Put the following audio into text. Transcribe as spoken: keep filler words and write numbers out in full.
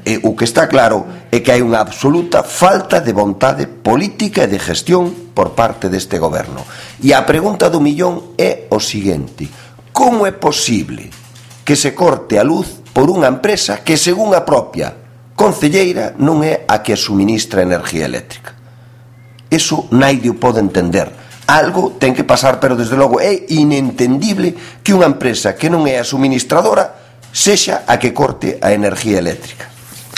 E o que está claro é que hai unha absoluta falta de vontade política e de gestión por parte deste goberno. E a pregunta do millón é o seguinte: como é posible que se corte a luz por unha empresa que, según a propia concelleira, non é a que suministra enerxía eléctrica? Eso naide o pode entender. Algo ten que pasar, pero desde logo é inentendible que unha empresa que non é a suministradora sexa a que corte a enerxía eléctrica.